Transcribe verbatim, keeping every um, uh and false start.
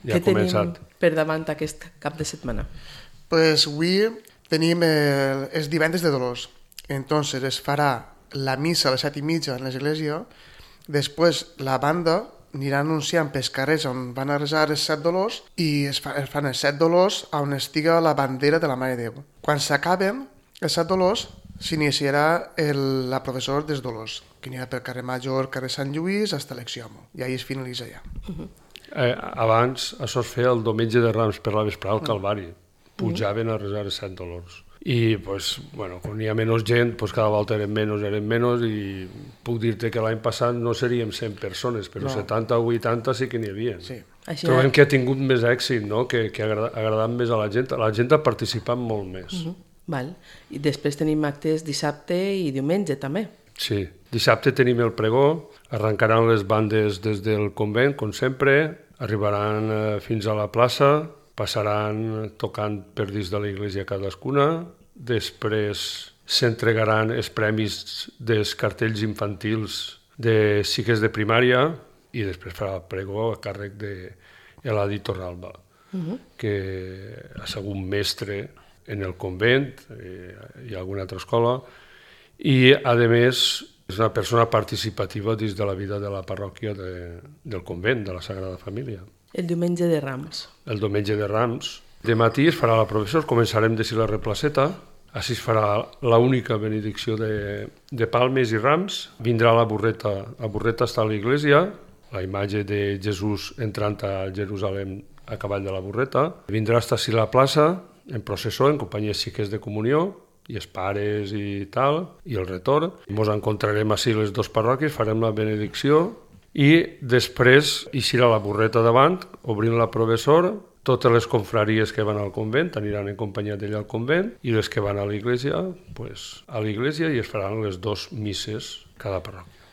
ja ha començat. Què tenim per davant aquest cap de setmana? Pues avui tenim el, els divendres de Dolors. Entonces es farà la missa a les set i mitja en l'església, després la banda anirà anunciant pels carrers on van a resar els set dolors i es, fa, es fan els set dolors on estiga la bandera de la Mare de Déu. Quan s'acaben els set dolors s'iniciarà el, la professora dels dolors, que anirà pel carrer Major, carrer Sant Lluís, fins a l'Exiomo, i ahí es finalitza ja. Uh-huh. Eh, abans això es feia el diumenge de Rams per la vesprada al Calvari, pujaven a resar els set dolors. I pues, bueno, quan hi ha menys gent, pues cada volta eren menys, eren menys, i puc dir-te que l'any passat no seríem cent persones, però no. setanta o vuitanta sí que n'hi havia. Sí. Així Trobem ha... que ha tingut més èxit, no? que, que ha agradat, agradat més a la gent. La gent ha participat molt més. Uh-huh. Val. I després tenim actes dissabte i diumenge també. Sí, dissabte tenim el pregó, arrencaran les bandes des del convent, com sempre, arribaran eh, fins a la plaça, passaran tocant per dins de l'església cadascuna, després s'entregaran els premis dels cartells infantils de cicles de primària i després farà el pregó a càrrec d'Eladi Torralba, uh-huh. que ha sigut mestre en el convent eh, i alguna altra escola, i a més és una persona participativa dins de la vida de la parròquia de, del convent, de la Sagrada Família. El diumenge de Rams. El diumenge de Rams. De matí es farà la professor, començarem de la replaceta, així es farà l'única benedicció de, de palmes i rams, vindrà la burreta, la burreta està a l'església, la imatge de Jesús entrant a Jerusalem a cavall de la burreta, vindrà fins a la plaça, en processó, en companyia xiques de comunió, i els pares i tal, i el retorn. Ens encontrarem així les dues parròquies, farem la benedicció, i després eixirà la burreta davant, obrint la professor, totes les confraries que van al convent aniran en companyia d'ella al convent i les que van a l'església, pues, a l'església, i es faran les dues misses cada parròquia.